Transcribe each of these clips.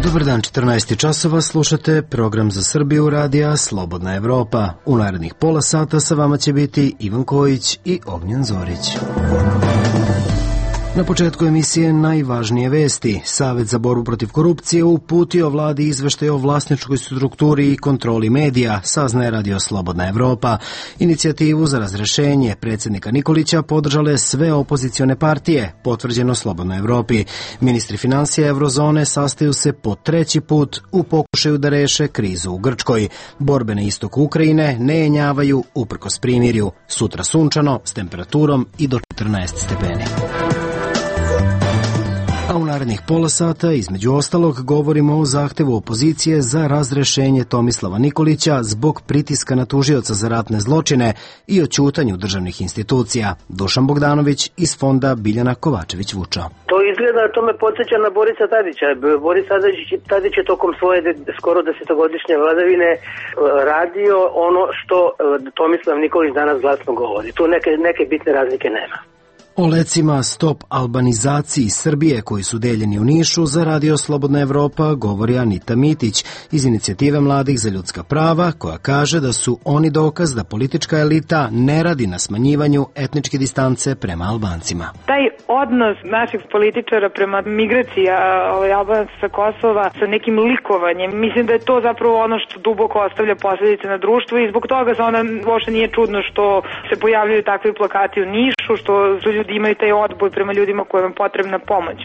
Dobar dan, 14 časova, slušate program za Srbiju radija Slobodna Evropa. U narednih pola sata sa vama će biti Ivan Kojić i Ognjen Zorić. Na početku emisije najvažnije vesti. Savet za borbu protiv korupcije uputio vladi izveštaj o vlasničkoj strukturi i kontroli medija, saznaje radio Slobodna Evropa. Inicijativu za razrešenje predsjednika Nikolića podržale sve opozicione partije, potvrđeno Slobodnoj Evropi. Ministri finansija Evrozone sastaju se po treći put u pokušaju da reše krizu u Grčkoj. Borbe na istoku Ukrajine ne jenjavaju uprkos primirju. Sutra sunčano s temperaturom i do 14 stepeni. A u narednih pola sata, između ostalog, govorimo o zahtevu opozicije za razrešenje Tomislava Nikolića zbog pritiska na tužioca za ratne zločine i o ćutanju državnih institucija. Dušan Bogdanović iz fonda Biljana Kovačević-Vučo. To izgleda, to me podsjeća na Borisa Tadića. Boris Tadić je tokom svoje skoro 10-godišnje vladavine radio ono što Tomislav Nikolić danas glasno govori. Tu neke bitne razlike nema. O lecima stop albanizaciji Srbije koji su deljeni u Nišu za radio Slobodna Evropa govori Anita Mitić iz Inicijative mladih za ljudska prava, koja kaže da su oni dokaz da politička elita ne radi na smanjivanju etničke distance prema Albancima. Taj odnos naših političara prema migraciji Albanaca sa Kosova sa nekim likovanjem, mislim da je to zapravo ono što duboko ostavlja posljedice na društvo i zbog toga se onda uopšte nije čudno što se pojavljaju takvi plakati u Nišu, što ljudi imaju taj odboj prema ljudima kojima je potrebna pomoć.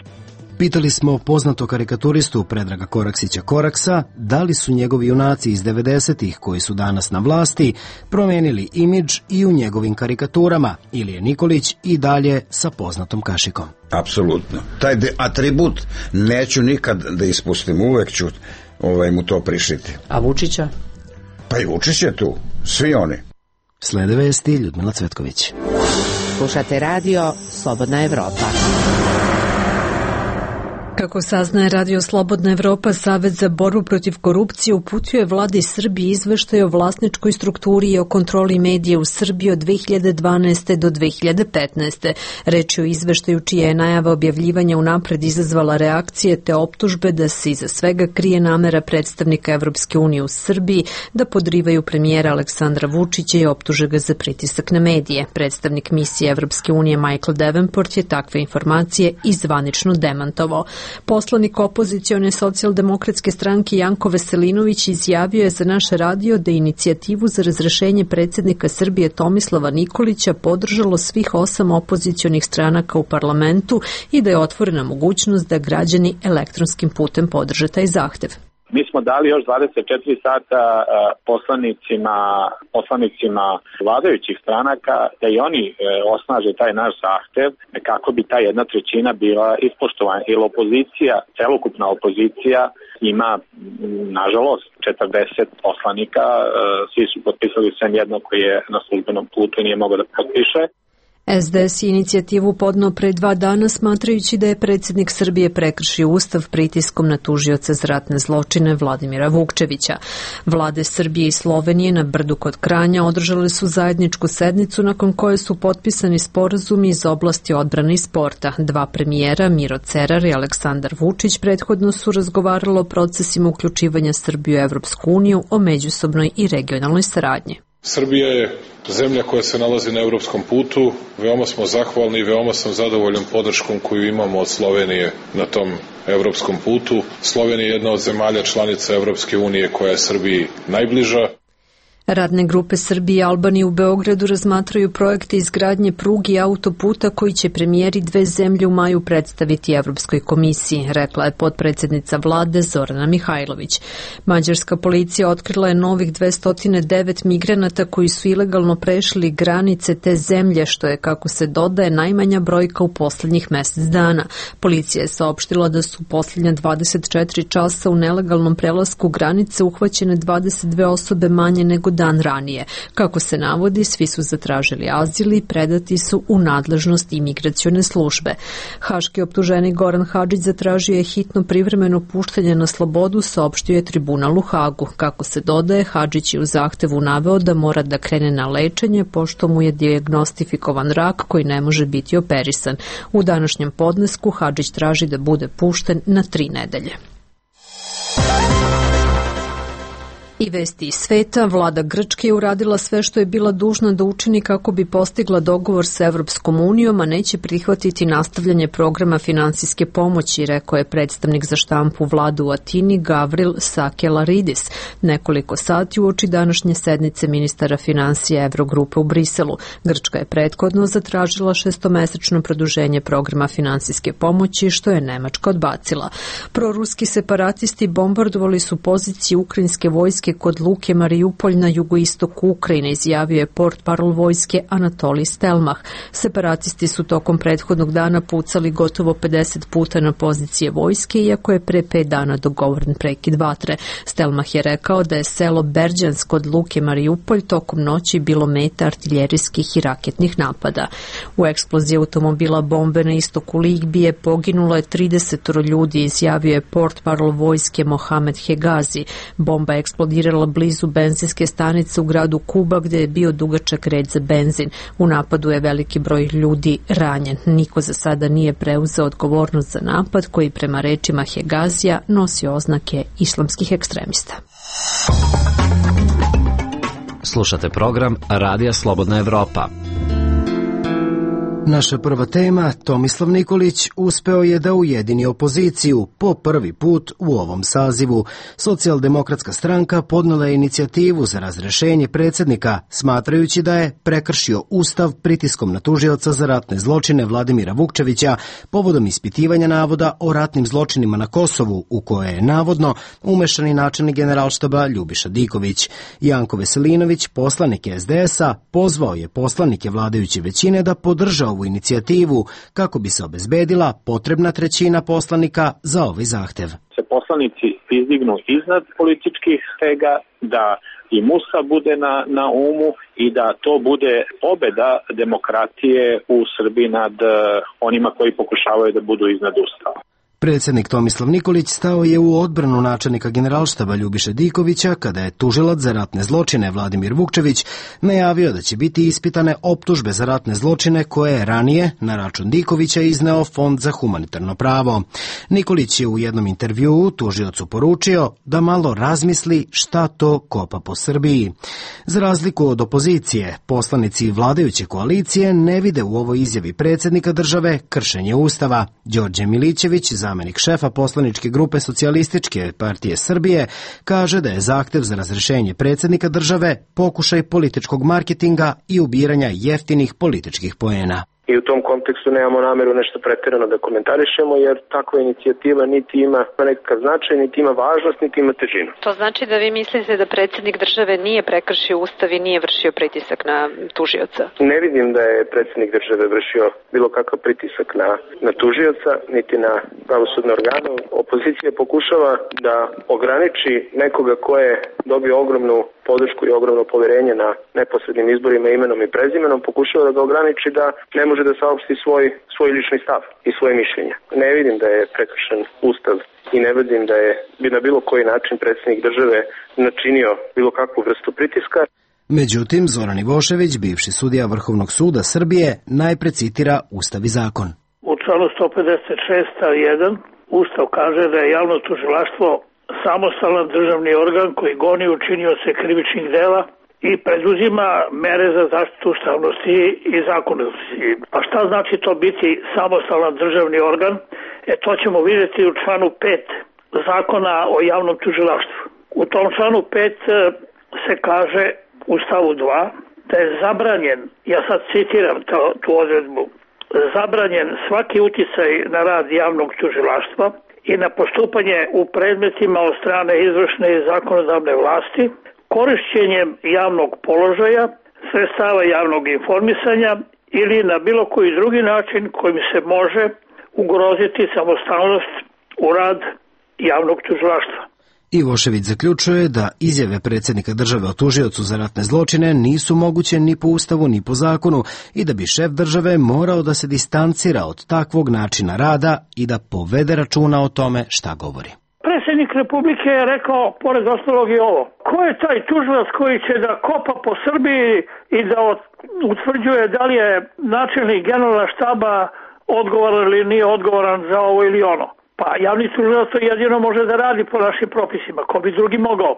Pitali smo poznato karikaturistu Predraga Koraksića Koraksa da li su njegovi junaci iz 90-ih koji su danas na vlasti promenili imidž i u njegovim karikaturama ili je Nikolić i dalje sa poznatom kašikom. Apsolutno. Taj atribut neću nikad da ispustim, uvek ću mu to prišiti. A Vučića? Pa i Vučić je tu, svi oni. Slede vesti, Ljudmila Cvetković. Slušate radio Slobodna Evropa. Kako saznaje radio Slobodna Evropa, Savet za borbu protiv korupcije uputio je vladi Srbije izveštaj o vlasničkoj strukturi i o kontroli medija u Srbiji od 2012. do 2015. Reč je o izveštaju čija je najava objavljivanja unapred izazvala reakcije te optužbe da se iza svega krije namera predstavnika Evropske unije u Srbiji da podrivaju premijera Aleksandra Vučića i optuže ga za pritisak na medije. Predstavnik misije Evropske unije Michael Davenport je takve informacije i zvanično demantovao. Poslanik opozicione socijaldemokratske stranke Janko Veselinović izjavio je za naš radio da je inicijativu za razrešenje predsjednika Srbije Tomislava Nikolića podržalo svih 8 opozicionih stranaka u parlamentu i da je otvorena mogućnost da građani elektronskim putem podrže taj zahtev. Mi smo dali još 24 sata poslanicima vladajućih stranaka da i oni osnaže taj naš zahtev kako bi ta 1/3 bila ispoštovana. Jer opozicija, celokupna opozicija ima, nažalost, 40 poslanika, svi su potpisali sem jedno koji je na službenom putu i nije mogao da potpiše. SDS je inicijativu podneo pre 2 dana smatrajući da je predsjednik Srbije prekršio ustav pritiskom na tužioca za ratne zločine Vladimira Vukčevića. Vlade Srbije i Slovenije na Brdu kod Kranja održale su zajedničku sednicu nakon koje su potpisani sporazumi iz oblasti odbrane i sporta. 2 premijera, Miro Cerar i Aleksandar Vučić, prethodno su razgovarali o procesima uključivanja Srbije u Evropsku uniju, o međusobnoj i regionalnoj saradnji. Srbija je zemlja koja se nalazi na evropskom putu. Veoma smo zahvalni i veoma sam zadovoljan podrškom koju imamo od Slovenije na tom evropskom putu. Slovenija je jedna od zemalja članica Evropske unije koja je Srbiji najbliža. Radne grupe Srbije i Albanije u Beogradu razmatraju projekte izgradnje pruge i autoputa koji će premijeri 2 zemlje u maju predstaviti Evropskoj komisiji, rekla je potpredsjednica vlade Zorana Mihajlović. Mađarska policija otkrila je novih 209 migranata koji su ilegalno prešli granice te zemlje, što je, kako se dodaje, najmanja brojka u posljednjih mjesec dana. Policija je saopštila da su posljednja 24 časa u nelegalnom prelasku granice uhvaćene 22 osobe manje nego dan ranije. Kako se navodi, svi su zatražili azil i predati su u nadležnost imigracione službe. Haški optuženik Goran Hadžić zatražio je hitno privremeno puštanje na slobodu, saopštio je tribunal u Hagu. Kako se dodaje, Hadžić je u zahtevu naveo da mora da krene na lečenje pošto mu je dijagnostifikovan rak koji ne može biti operisan. U današnjem podnesku Hadžić traži da bude pušten na 3 nedelje. I vesti iz sveta, vlada Grčke je uradila sve što je bila dužna da učini kako bi postigla dogovor sa Evropskom unijom, a neće prihvatiti nastavljanje programa finansijske pomoći, rekao je predstavnik za štampu vlade u Atini Gavril Sakelaridis nekoliko sati uoči današnje sednice ministara finansija Evrogrupe u Briselu. Grčka je prethodno zatražila 6-mesečno produženje programa finansijske pomoći, što je Nemačka odbacila. Proruski separatisti bombardovali su pozicije ukrajinske vojske kod luke Mariupolj na jugoistoku Ukrajine, izjavio je portparol vojske Anatolij Stelmach. Separatisti su tokom prethodnog dana pucali gotovo 50 puta na pozicije vojske, iako je pre 5 dana dogovoren prekid vatre. Stelmach je rekao da je selo Berđansk kod luke Mariupolj tokom noći bilo meta artiljerijskih i raketnih napada. U eksploziji automobila bombe na istoku Libije poginulo je 30 ljudi, izjavio je portparol vojske Mohamed Hegazi. Bomba je eksplodirala blizu benzinske stanice u gradu Kuba, gde je bio dugačak red za benzin. U napadu je veliki broj ljudi ranjen. Niko za sada nije preuzeo odgovornost za napad, koji prema rečima Hegazija nosi oznake islamskih ekstremista. Slušate program Radija Slobodna Evropa. Naša prva tema, Tomislav Nikolić, uspeo je da ujedini opoziciju po prvi put u ovom sazivu. Socijaldemokratska stranka podnela je inicijativu za razrešenje predsjednika, smatrajući da je prekršio Ustav pritiskom na tužioca za ratne zločine Vladimira Vukčevića povodom ispitivanja navoda o ratnim zločinima na Kosovu, u koje je navodno umešani načelnik Generalštaba Ljubiša Diković. Janko Veselinović, poslanik SDS-a, pozvao je poslanike vladajuće većine da podrže ovu inicijativu kako bi se obezbedila potrebna trećina poslanika za ovaj zahtev. Se poslanici izdignu iznad političkih stega, da i Musa bude na umu i da to bude pobeda demokratije u Srbiji nad onima koji pokušavaju da budu iznad Ustava. Predsjednik Tomislav Nikolić stao je u odbranu načelnika Generalštaba Ljubiše Dikovića kada je tužilac za ratne zločine Vladimir Vukčević najavio da će biti ispitane optužbe za ratne zločine koje je ranije na račun Dikovića izneo Fond za humanitarno pravo. Nikolić je u jednom intervjuu tužiocu poručio da malo razmisli šta to kopa po Srbiji. Za razliku od opozicije, poslanici vladajuće koalicije ne vide u ovoj izjavi predsjednika države kršenje Ustava. Đorđe Milićević, zamenik šefa poslaničke grupe Socijalističke partije Srbije, kaže da je zahtev za razrešenje predsjednika države pokušaj političkog marketinga i ubiranja jeftinih političkih poena. I u tom kontekstu nemamo nameru nešto pretjerano da komentarišemo, jer takva inicijativa niti ima nekakav značaj, niti ima važnost, niti ima težinu. To znači da vi mislite da predsjednik države nije prekršio Ustav i nije vršio pritisak na tužioca? Ne vidim da je predsjednik države vršio bilo kakav pritisak na tužioca, niti na pravosudne organe. Opozicija pokušava da ograniči nekoga ko je dobio ogromnu podršku i ogromno poverenje na neposrednim izborima imenom i prezimenom, pokušava da ga ograniči da ne može da saopšti svoj lični stav i svoje mišljenje. Ne vidim da je prekršen Ustav i ne vidim da je na bilo koji način predsjednik države načinio bilo kakvu vrstu pritiska. Međutim, Zoran Ivošević, bivši sudija Vrhovnog suda Srbije, najpre citira Ustav i zakon. U članu 156 stav 1 Ustav kaže da je javno tužilaštvo samostalan državni organ koji goni učinioce krivičnih dela i preduzima mere za zaštitu ustavnosti i zakonitosti. A šta znači to biti samostalan državni organ? To ćemo vidjeti u članu 5 Zakona o javnom tužilaštvu. U tom članu 5 se kaže u stavu 2 da je zabranjen, ja sad citiram tu odredbu, zabranjen svaki uticaj na rad javnog tužilaštva i na postupanje u predmetima od strane izvršne i zakonodavne vlasti, korišćenjem javnog položaja, sredstava javnog informisanja ili na bilo koji drugi način kojim se može ugroziti samostalnost u rad javnog tužilaštva. Ivošević zaključuje da izjave predsjednika države o tužiocu za ratne zločine nisu moguće ni po Ustavu ni po zakonu i da bi šef države morao da se distancira od takvog načina rada i da povede računa o tome šta govori. Predsjednik Republike je rekao, pored ostalog i ovo, ko je taj tužilac koji će da kopa po Srbiji i da utvrđuje da li je načelnik generalna štaba odgovoran ili nije odgovoran za ovo ili ono. Pa javni tužilac to jedino može da radi po našim propisima, ko bi drugi mogao.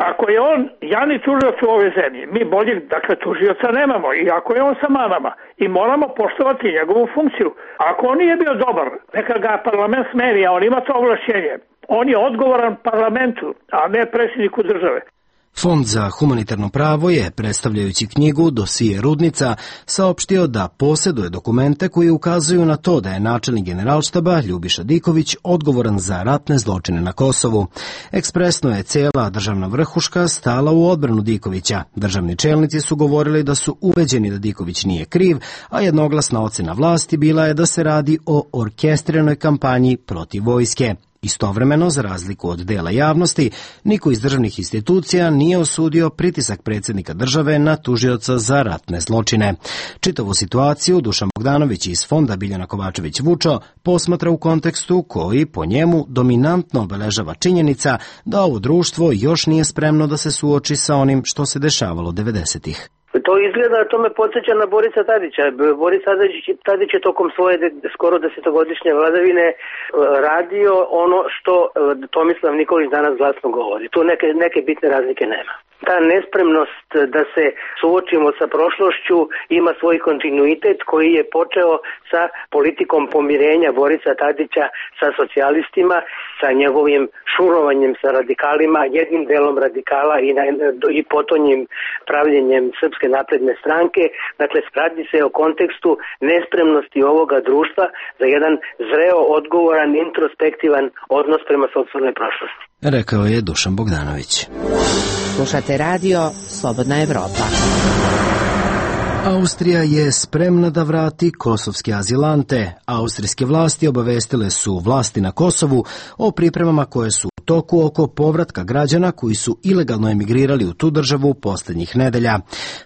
Ako je on javni tužilac u ovoj zemlji, mi boljeg, dakle, tužioca nemamo i ako je on sa manama i moramo poštovati njegovu funkciju. Ako on nije bio dobar, neka ga parlament smeni, a on ima to ovlašćenje. On je odgovoran parlamentu, a ne predsjedniku države. Fond za humanitarno pravo je, predstavljajući knjigu Dosije Rudnica, saopštio da posjeduje dokumente koji ukazuju na to da je načelnik Generalštaba Ljubiša Diković odgovoran za ratne zločine na Kosovu. Ekspresno je cijela državna vrhuška stala u odbranu Dikovića. Državni čelnici su govorili da su ubeđeni da Diković nije kriv, a jednoglasna ocena vlasti bila je da se radi o orkestriranoj kampanji protiv vojske. Istovremeno, za razliku od dela javnosti, niko iz državnih institucija nije osudio pritisak predsjednika države na tužioca za ratne zločine. Čitavu situaciju Dušan Bogdanović iz Fonda Biljana Kovačević-Vučo posmatra u kontekstu koji, po njemu, dominantno obeležava činjenica da ovo društvo još nije spremno da se suoči sa onim što se dešavalo 90-ih. To izgleda, to me podsjeća na Borisa Tadića. Boris Tadić je tokom svoje skoro 10-godišnje vladavine radio ono što Tomislav Nikolić danas glasno govori. Tu neke bitne razlike nema. Ta nespremnost da se suočimo sa prošlošću ima svoj kontinuitet koji je počeo sa politikom pomirenja Borisa Tadića sa socijalistima, sa njegovim šurovanjem sa radikalima, jednim delom radikala i potonjim pravljenjem Srpske napredne stranke. Dakle, radi se o kontekstu nespremnosti ovoga društva za jedan zreo, odgovoran, introspektivan odnos prema sopstvenoj prošlosti. Rekao je Dušan Bogdanović. Slušate radio Slobodna Evropa. Austrija je spremna da vrati kosovske azilante. Austrijske vlasti obavestile su vlasti na Kosovu o pripremama koje su u toku oko povratka građana koji su ilegalno emigrirali u tu državu posljednjih nedelja.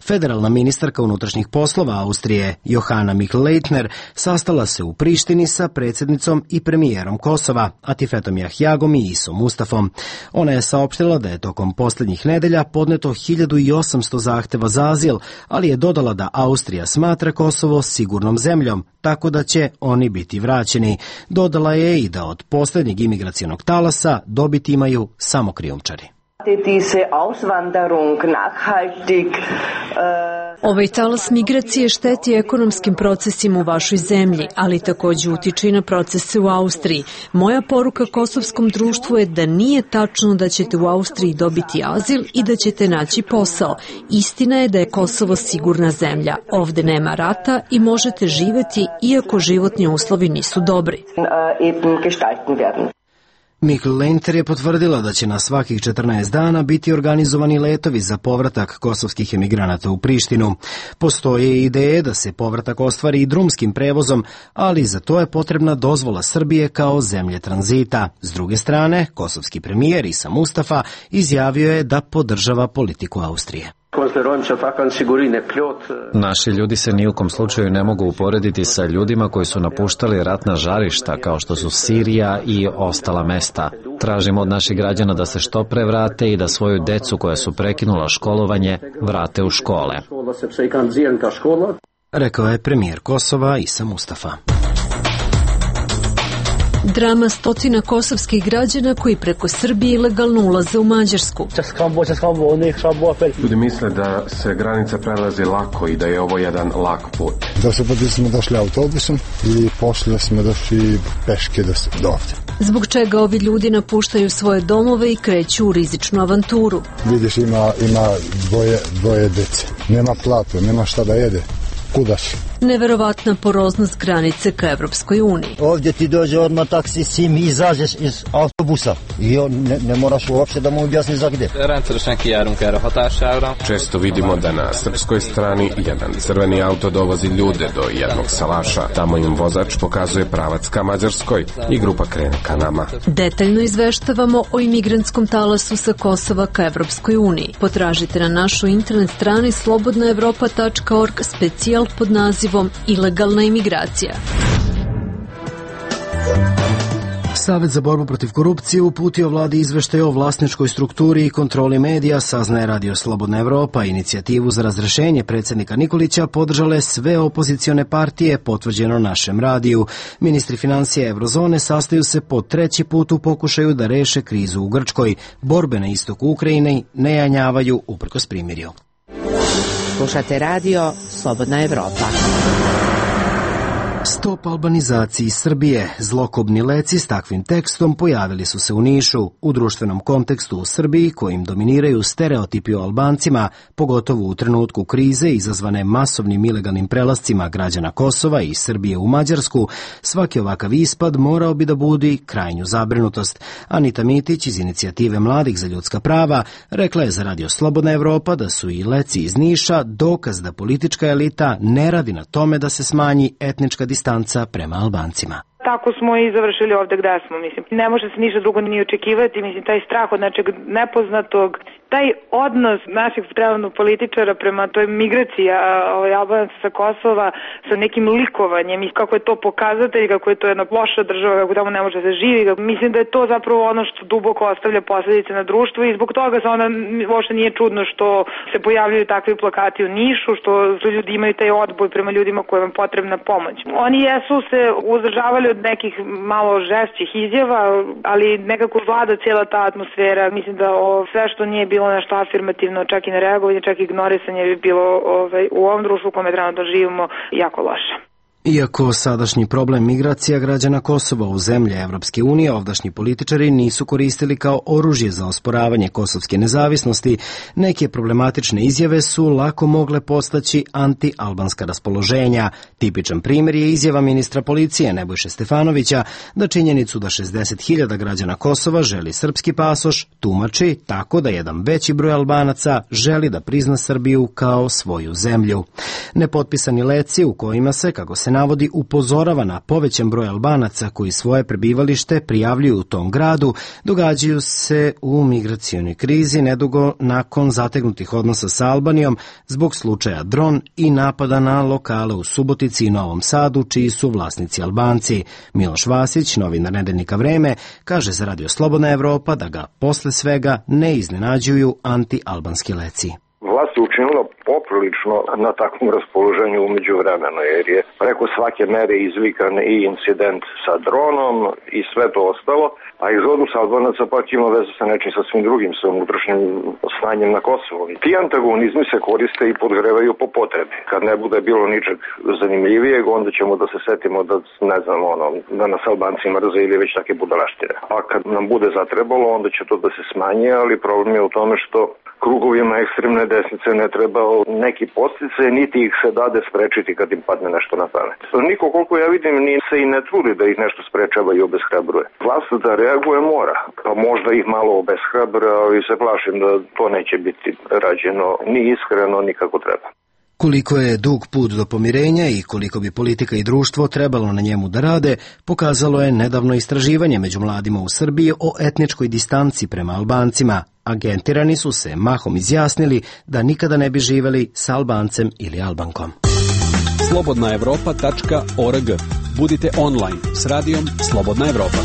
Federalna ministarka unutrašnjih poslova Austrije, Johanna Michel-Leitner, sastala se u Prištini sa predsjednicom i premijerom Kosova, Atifetom Jahjagom i Isom Mustafom. Ona je saopštila da je tokom posljednjih nedelja podneto 1800 zahteva za azil, ali je dodala da Austrija smatra Kosovo sigurnom zemljom, tako da će oni biti vraćeni. Dodala je i da od posljednjeg imigracionog talasa dobiti imaju samo krijumčari. Ovaj talas migracije šteti ekonomskim procesima u vašoj zemlji, ali također utiče i na procese u Austriji. Moja poruka kosovskom društvu je da nije tačno da ćete u Austriji dobiti azil i da ćete naći posao. Istina je da je Kosovo sigurna zemlja. Ovde nema rata i možete živjeti iako životni uslovi nisu dobri. Michel-Leitner je potvrdila da će na svakih 14 dana biti organizovani letovi za povratak kosovskih emigranata u Prištinu. Postoje ideje da se povratak ostvari i drumskim prevozom, ali za to je potrebna dozvola Srbije kao zemlje tranzita. S druge strane, kosovski premijer Isa Mustafa izjavio je da podržava politiku Austrije. Naši ljudi se ni u kom slučaju ne mogu uporediti sa ljudima koji su napuštali ratna žarišta kao što su Sirija i ostala mesta. Tražimo od naših građana da se što pre vrate i da svoju decu koja su prekinula školovanje vrate u škole. Rekao je premijer Kosova Isa Mustafa. Drama stotina kosovskih građana koji preko Srbije ilegalno ulaze u Mađarsku. Ljudi misle da se granica prelazi lako i da je ovo jedan lak put. Da smo došli autobusom i poslije smo došli peške do ovdje. Zbog čega ovi ljudi napuštaju svoje domove i kreću u rizičnu avanturu. Vidiš, ima dvoje dece. Nema platu, nema šta da jede. Kuda si? Neverovatna poroznost granice ka Evropskoj uniji. Ovdje ti dođe odmah taksi, sim, izađeš iz autobusa i ne moraš uopšte da mu objasni za gde. Često vidimo da na srpskoj strani jedan crveni auto dovozi ljude do jednog salaša. Tamo im vozač pokazuje pravac ka Mađarskoj i grupa krene ka nama. Detaljno izveštavamo o imigrantskom talasu sa Kosova ka Evropskoj uniji. Potražite na našoj internet strani slobodnaevropa.org specijal pod nazivom Ilegalna imigracija. Savet za borbu protiv korupcije uputio vladi izveštaj o vlasničkoj strukturi i kontroli medija, saznaje Radio Slobodna Evropa. Inicijativu za razrešenje predsjednika Nikolića podržale sve opozicione partije, potvrđeno našem radiju. Ministri financija Eurozone sastaju se po treći put u pokušaju da reše krizu u Grčkoj. Borbe na istoku Ukrajine ne janjavaju uprkos primirju. Slušate radio Slobodna Evropa. Stop albanizaciji Srbije. Zlokobni leci s takvim tekstom pojavili su se u Nišu. U društvenom kontekstu u Srbiji, kojim dominiraju stereotipi o Albancima, pogotovo u trenutku krize izazvane masovnim ilegalnim prelascima građana Kosova i Srbije u Mađarsku, svaki ovakav ispad morao bi da budi krajnju zabrinutost. Anita Mitić iz Inicijative mladih za ljudska prava rekla je za Radio Slobodna Evropa da su i leci iz Niša dokaz da politička elita ne radi na tome da se smanji etnička distanca prema Albancima. Tako smo i završili ovde gde smo, mislim. Ne može se ništa drugo ni očekivati, mislim, taj strah od nečeg nepoznatog, taj odnos naših trenutno političara prema toj migraciji Albanaca sa Kosova sa nekim likovanjem i kako je to pokazatelj, kako je to jedna loša država, kako tamo ne može da se živi. Mislim da je to zapravo ono što duboko ostavlja posledice na društvo i zbog toga se onda uopšte nije čudno što se pojavljaju takvi plakati u Nišu, što ljudi imaju taj odboj prema ljudima kojima je potrebna pomoć. Oni jesu se uzdržavali od nekih malo žešćih izjava, ali nekako vlada cijela ta atmosfera. Mislim da sve što nije bilo nešto afirmativno, čak i nereagovanje, čak i ignorisanje bi bilo u ovom društvu u kome trenutno živimo jako loše. Iako sadašnji problem migracija građana Kosova u zemlje Evropske unije ovdašnji političari nisu koristili kao oružje za osporavanje kosovske nezavisnosti, neke problematične izjave su lako mogle postaći anti-albanska raspoloženja. Tipičan primjer je izjava ministra policije Nebojše Stefanovića da činjenicu da 60.000 građana Kosova želi srpski pasoš tumači tako da jedan veći broj Albanaca želi da prizna Srbiju kao svoju zemlju. Nepotpisani leci u kojima se, kako se navodi, upozorava na povećan broj Albanaca koji svoje prebivalište prijavljuju u tom gradu, događaju se u migracionoj krizi nedugo nakon zategnutih odnosa sa Albanijom zbog slučaja Dron i napada na lokale u Subotici i Novom Sadu, čiji su vlasnici Albanci. Miloš Vasić, novinar nedeljnika Vreme, kaže za Radio Slobodna Evropa da ga posle svega ne iznenađuju anti-albanski leci. Vlast je učinila poprilično na takvom raspoloženju umeđu vremena, jer je preko svake mere izvikan i incident sa dronom i sve to ostalo, a egzodus Albanaca pak ima vezu sa nečim sasvim drugim, sa unutrašnjim stanjem na Kosovu. Ti antagonizmi se koriste i podgrevaju po potrebi. Kad ne bude bilo ničeg zanimljivijeg, onda ćemo da se setimo da, ne znam, da nas Albanci mrze ili već take budalaštine. A kad nam bude zatrebalo, onda će to da se smanje, ali problem je u tome što krugovima ekstremne desnice ne treba neki podsticaj, niti ih se dade sprečiti kad im padne nešto na pamet. Niko, koliko ja vidim, ni se i ne trudi da ih nešto sprečava i obeshrabruje. Vlast da reaguje mora, pa možda ih malo obeshrabre, ali se plašim da to neće biti rađeno ni iskreno, ni kako treba. Koliko je dug put do pomirenja i koliko bi politika i društvo trebalo na njemu da rade, pokazalo je nedavno istraživanje među mladima u Srbiji o etničkoj distanci prema Albancima. Agentirani su se mahom izjasnili da nikada ne bi živeli sa Albancem ili Albankom. slobodnaevropa.org. Budite online s radijom Slobodna Evropa.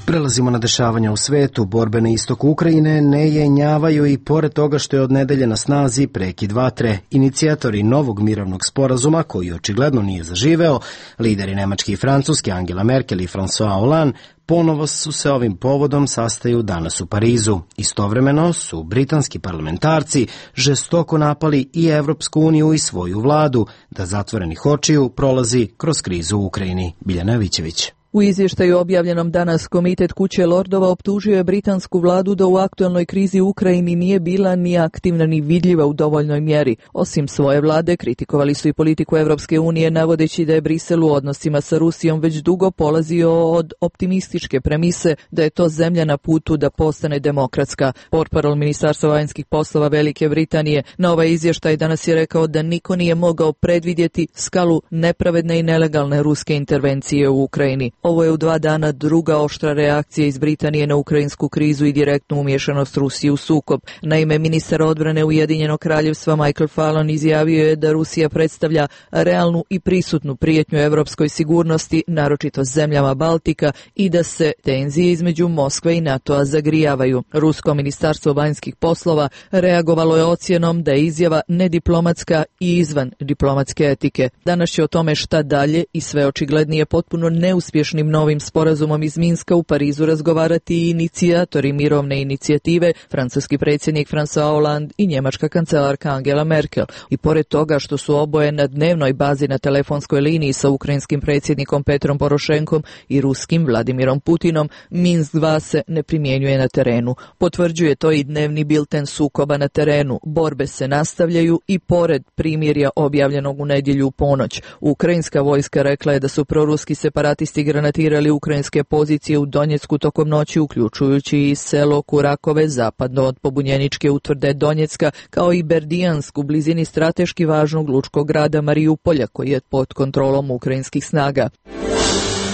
Prelazimo na dešavanja u svetu. Borbe na istoku Ukrajine ne jenjavaju i pored toga što je od nedelje na snazi prekid vatre. Inicijatori novog mirovnog sporazuma, koji očigledno nije zaživeo, lideri Nemačke i Francuske Angela Merkel i François Hollande, ponovo su se ovim povodom sastaju danas u Parizu. Istovremeno su britanski parlamentarci žestoko napali i Evropsku uniju i svoju vladu da zatvorenih očiju prolazi kroz krizu u Ukrajini. Biljana Vićević. U izvještaju objavljenom danas Komitet Kuće lordova optužio je britansku vladu da u aktualnoj krizi u Ukrajini nije bila ni aktivna ni vidljiva u dovoljnoj mjeri. Osim svoje vlade, kritikovali su i politiku Evropske unije, navodeći da je Brisel u odnosima sa Rusijom već dugo polazio od optimističke premise da je to zemlja na putu da postane demokratska. Portparol Ministarstva vanjskih poslova Velike Britanije na ovaj izvještaj danas je rekao da niko nije mogao predvidjeti skalu nepravedne i nelegalne ruske intervencije u Ukrajini. Ovo je u 2 dana druga oštra reakcija iz Britanije na ukrajinsku krizu i direktnu umješanost Rusije u sukob. Naime, ministar odbrane Ujedinjenog kraljevstva Michael Fallon izjavio je da Rusija predstavlja realnu i prisutnu prijetnju evropskoj sigurnosti, naročito zemljama Baltika, i da se tenzije između Moskve i NATO-a zagrijavaju. Rusko ministarstvo vanjskih poslova reagovalo je ocjenom da je izjava nediplomatska i izvan diplomatske etike. Danas će o tome šta dalje i sve očiglednije potpuno neuspješnim novim sporazumom iz Minska u Parizu razgovarati i inicijatori mirovne inicijative, francuski predsjednik François Hollande i njemačka kancelarka Angela Merkel. I pored toga što su oboje na dnevnoj bazi na telefonskoj liniji sa ukrajinskim predsjednikom Petrom Porošenkom i ruskim Vladimirom Putinom, Minsk 2 se ne primjenjuje na terenu. Potvrđuje to i dnevni bilten sukoba na terenu. Borbe se nastavljaju i pored primirja objavljenog u nedjelju u ponoć. Ukrajinska vojska rekla je da su proruski separatisti granatirali ukrajinske pozicije u Donjecku tokom noći, uključujući i selo Kurakove zapadno od pobunjeničke utvrde Donjecka, kao i Berdijansk u blizini strateški važnog lučkog grada Marijupolja, koji je pod kontrolom ukrajinskih snaga.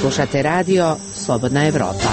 Slušate radio Slobodna Evropa.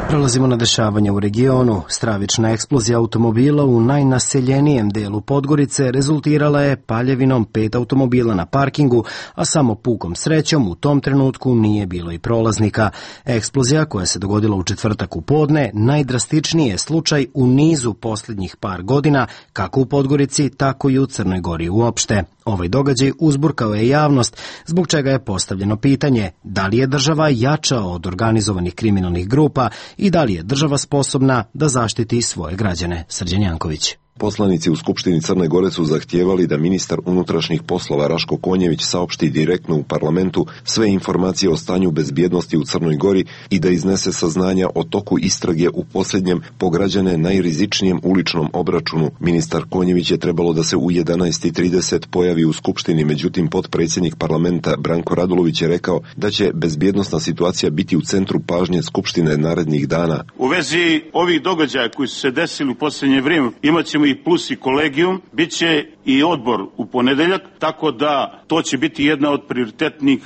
Prelazimo na dešavanja u regionu. Stravična eksplozija automobila u najnaseljenijem delu Podgorice rezultirala je paljevinom 5 automobila na parkingu, a samo pukom srećom u tom trenutku nije bilo i prolaznika. Eksplozija koja se dogodila u četvrtak u podne najdrastičniji je slučaj u nizu posljednjih par godina, kako u Podgorici, tako i u Crnoj Gori uopšte. Ovaj događaj uzburkao je javnost, zbog čega je postavljeno pitanje da li je država jača od organizovanih kriminalnih grupa i da li je država sposobna da zaštiti svoje građane. Srđan Janković. Poslanici u Skupštini Crne Gore su zahtijevali da ministar unutrašnjih poslova Raško Konjević saopšti direktno u parlamentu sve informacije o stanju bezbjednosti u Crnoj Gori i da iznese saznanja o toku istrage u posljednjem po građane najrizičnijem uličnom obračunu. Ministar Konjević je trebalo da se u 11:30 pojavi u Skupštini, međutim potpredsjednik parlamenta Branko Radulović je rekao da će bezbjednosna situacija biti u centru pažnje Skupštine narednih dana. U vezi ovih događaja koji su se desili u posljednje vrijeme imaćemo i plus i kolegijum, bit će i odbor u ponedeljak, tako da to će biti jedna od prioritetnih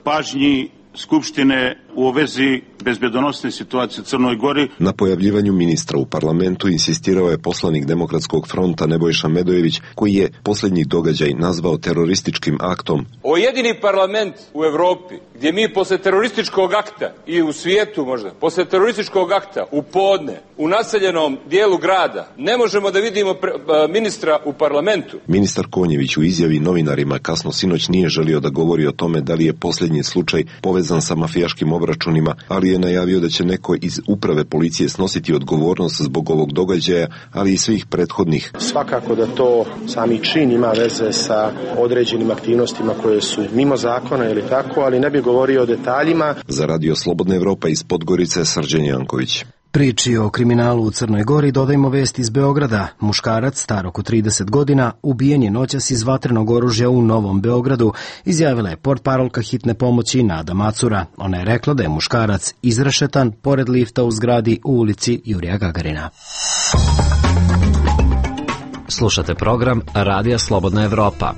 pažnji Skupštine u vezi bezbjedonosne situacije u Crnoj Gori. Na pojavljivanju ministra u parlamentu insistirao je poslanik Demokratskog fronta Nebojša Medojević, koji je posljednji događaj nazvao terorističkim aktom. Ovo je jedini parlament u Evropi gdje mi posle terorističkog akta i u svijetu možda, posle terorističkog akta u podne, u naseljenom dijelu grada, ne možemo da vidimo ministra u parlamentu. Ministar Konjević u izjavi novinarima kasno sinoć nije želio da govori o tome da li je posljednji slučaj povezan sa mafijaškim obračunima, ali je najavio da će neko iz uprave policije snositi odgovornost zbog ovog događaja, ali i svih prethodnih. Svakako da to sami čin ima veze sa određenim aktivnostima koje su mimo zakona ili tako, ali ne bi govorio o detaljima. Za Radio Slobodna Evropa iz Podgorice, Srđan Janković. Priči o kriminalu u Crnoj Gori dodajmo vest iz Beograda. Muškarac, star oko 30 godina, ubijen je noćas iz vatrenog oružja u Novom Beogradu, izjavila je portparolka hitne pomoći Nada Macura. Ona je rekla da je muškarac izrešetan pored lifta u zgradi u ulici Jurija Gagarina. Slušate program Radija Slobodna Evropa.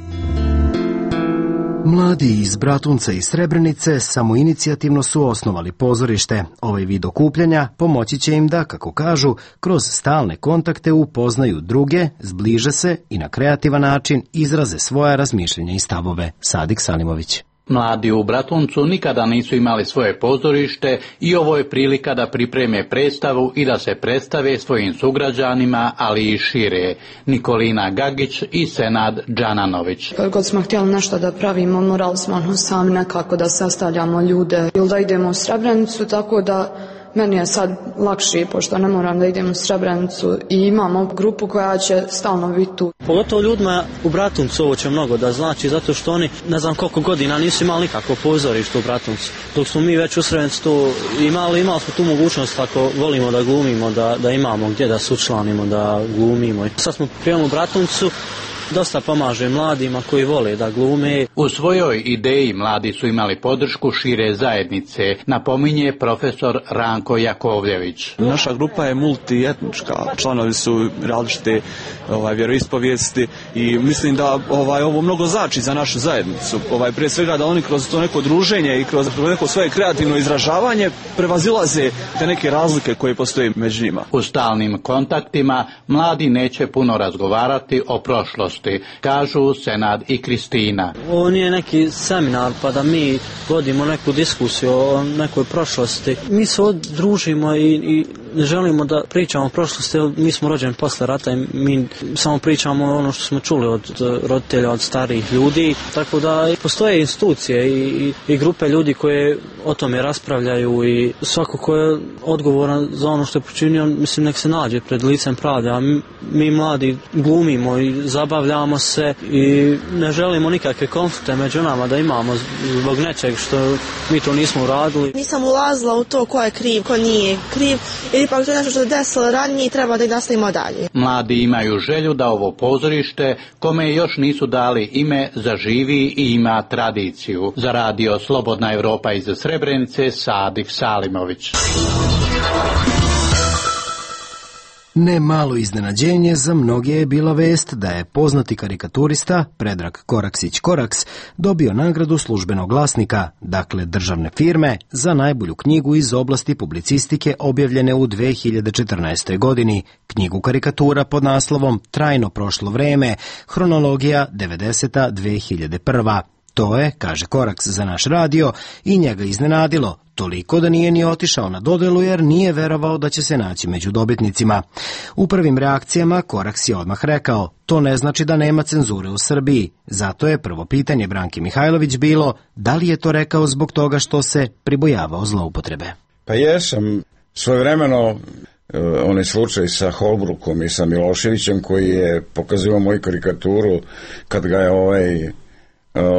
Mladi iz Bratunca i Srebrenice samoinicijativno su osnovali pozorište. Ovaj vid okupljanja pomoći će im da, kako kažu, kroz stalne kontakte upoznaju druge, zbliže se i na kreativan način izraze svoja razmišljenja i stavove. Sadik Salimović. Mladi u Bratuncu nikada nisu imali svoje pozorište i ovo je prilika da pripreme predstavu i da se predstave svojim sugrađanima, ali i šire. Nikolina Gagić i Senad Džananović. Kad god smo htjeli nešto da pravimo, morali smo sami nekako da sastavljamo ljude ili da idemo u Srebrenicu, tako da meni je sad lakše, pošto ne moram da idem u Srebrenicu i imamo grupu koja će stalno biti tu. Pogotovo ljudima u Bratuncu ovo će mnogo da znači, zato što oni, ne znam koliko godina, nisu imali nikako pozorište u Bratuncu. Dok smo mi već u Srebrenicu to imali smo tu mogućnost, ako volimo da glumimo, da imamo gdje da se učlanimo, da glumimo. Sad smo prijeli u Bratuncu dosta pomaže mladima koji vole da glume. U svojoj ideji mladi su imali podršku šire zajednice, napominje profesor Ranko Jakovljević. Naša grupa je multietnička, članovi su različite vjeroispovijesti i mislim da ovo mnogo znači za našu zajednicu. Prije svega da oni kroz to neko druženje i kroz neko svoje kreativno izražavanje prevazilaze te neke razlike koje postoje među njima. U stalnim kontaktima mladi neće puno razgovarati o prošlosti, kažu Senad i Kristina. Ovo nije neki seminar pa da mi vodimo neku diskusiju o nekoj prošlosti. Mi se družimo i ne želimo da pričamo o prošlosti, jer mi smo rođeni posle rata i mi samo pričamo ono što smo čuli od roditelja, od starijih ljudi, tako da postoje institucije i grupe ljudi koje o tome raspravljaju i svako ko je odgovoran za ono što je počinio, mislim nek se nađe pred licem pravde, a mi mladi glumimo i zabavljamo se i ne želimo nikakve konflikte među nama da imamo zbog nečeg što mi to nismo uradili. Nisam ulazila u to ko je kriv, ko nije kriv, jer ipak to je nešto što je desilo ranije i treba da ih nastavimo dalje. Mladi imaju želju da ovo pozorište, kome još nisu dali ime, zaživi i ima tradiciju. Za radio Slobodna Evropa iz Srebrenice, Sadif Salimović. Ne malo iznenađenje za mnoge je bila vest da je poznati karikaturista Predrag Koraksić-Koraks dobio nagradu Službenog glasnika, dakle državne firme, za najbolju knjigu iz oblasti publicistike objavljene u 2014. godini, knjigu karikatura pod naslovom Trajno prošlo vreme, hronologija 90-2001. To je, kaže Koraks za naš radio, i njega iznenadilo, toliko da nije ni otišao na dodelu jer nije verovao da će se naći među dobitnicima. U prvim reakcijama Koraks je odmah rekao, to ne znači da nema cenzure u Srbiji. Zato je prvo pitanje Branke Mihajlović bilo, da li je to rekao zbog toga što se pribojavao zloupotrebe. Pa jesam, svojevremeno onaj slučaj sa Holbrookom i sa Miloševićem koji je pokazivao moju karikaturu kad ga je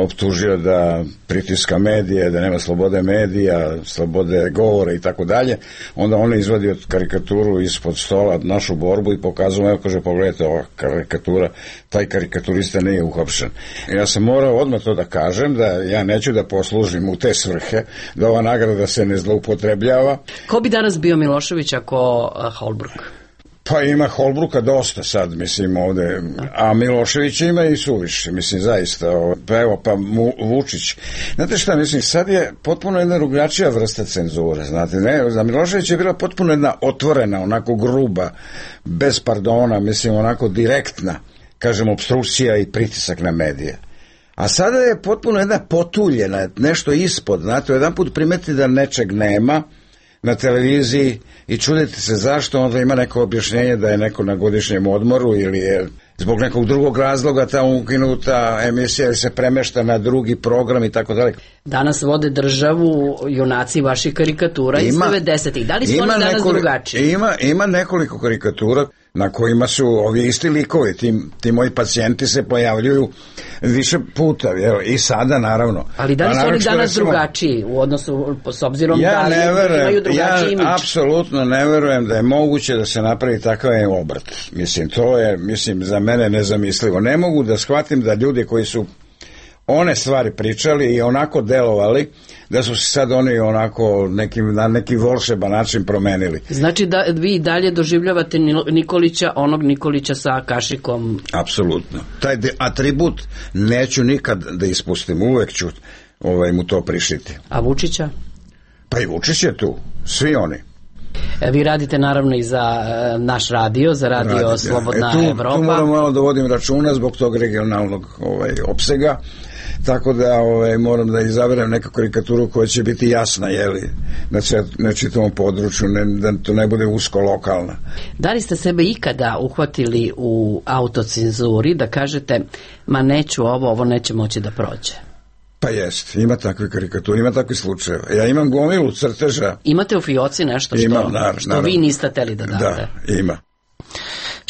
optužio da pritiska medije, da nema slobode medija, slobode govora i tako dalje, onda on je izvadio karikaturu ispod stola, našu borbu i pokazao, evo kaže, pogledajte ova karikatura, taj karikaturista nije uhapšen. Ja sam morao odmah to da kažem, da ja neću da poslužim u te svrhe, da ova nagrada se ne zloupotrebljava. Ko bi danas bio Milošević ako Holbrook? Pa ima Holbrooka dosta sad, mislim, ovde, a Milošević ima i suviše, mislim, zaista. Pa evo, pa Vučić. Znate šta, mislim, sad je potpuno jedna drugačija vrsta cenzure, znate, ne, za Milošević je bila potpuno jedna otvorena, onako gruba, bez pardona, mislim, onako direktna, kažem, opstrukcija i pritisak na medije. A sada je potpuno jedna potuljena, nešto ispod, znate, jedan put primeti da nečeg nema na televiziji i čudite se zašto, onda ima neko objašnjenje da je neko na godišnjem odmoru ili je zbog nekog drugog razloga ta ukinuta emisija se premešta na drugi program i tako dalje. Danas vode državu junaci vaših karikatura iz 90-ih. Da li su oni danas drugačiji? Ima nekoliko karikatura na kojima su ovi isti likovi, ti moji pacijenti se pojavljuju više puta, i sada naravno. Ali da li su oni danas drugačiji u odnosu s obzirom da li imaju drugačiji imidž? Ja apsolutno ne verujem da je moguće da se napravi takav obrt. Mislim, to je, za mene nezamislivo. Ne mogu da shvatim da ljudi koji su one stvari pričali i onako delovali, da su se sad oni onako na neki volšeban način promenili. Znači da vi dalje doživljavate Nikolića, onog Nikolića sa kašikom? Apsolutno. Taj atribut neću nikad da ispustim, uvek ću mu to prišiti. A Vučića? Pa i Vučić je tu, svi oni. Vi radite naravno i za naš radio, za radio Slobodna Evropa. Tu moram malo da vodim računa zbog tog regionalnog opsega, tako da moram da izaberem neku karikaturu koja će biti jasna, na čitavom području, da to ne bude usko lokalna. Da li ste sebe ikada uhvatili u autocenzuri da kažete, ma neću ovo neće moći da prođe? Pa jest, ima takve karikature, ima takve slučajeva. Ja imam gomilu crteža. Imate u fioci nešto što vi niste hteli da date? Da, ima.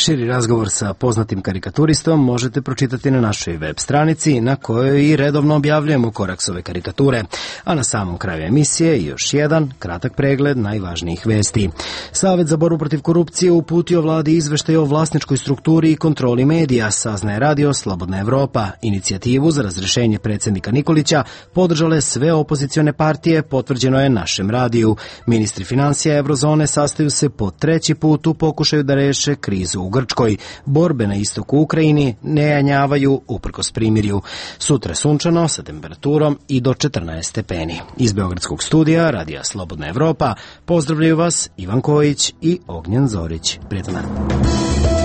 Širi razgovor sa poznatim karikaturistom možete pročitati na našoj web stranici na kojoj i redovno objavljujemo Koraksove karikature, a na samom kraju emisije još jedan kratak pregled najvažnijih vesti. Savet za borbu protiv korupcije uputio vladi izveštaj o vlasničkoj strukturi i kontroli medija, saznaje radio Slobodna Evropa. Inicijativu za razrešenje predsjednika Nikolića podržale sve opozicione partije, potvrđeno je našem radiju. Ministri financija Evrozone sastaju se po treći put u pokušaju da reše krizu u Grčkoj. Borbe na istoku Ukrajini ne janjavaju uprkos primirju. Sutra sunčano sa temperaturom i do 14 stepeni. Iz Beogradskog studija radija Slobodna Evropa pozdravljaju vas Ivan Kojić i Ognjen Zorić. Prijetan dan.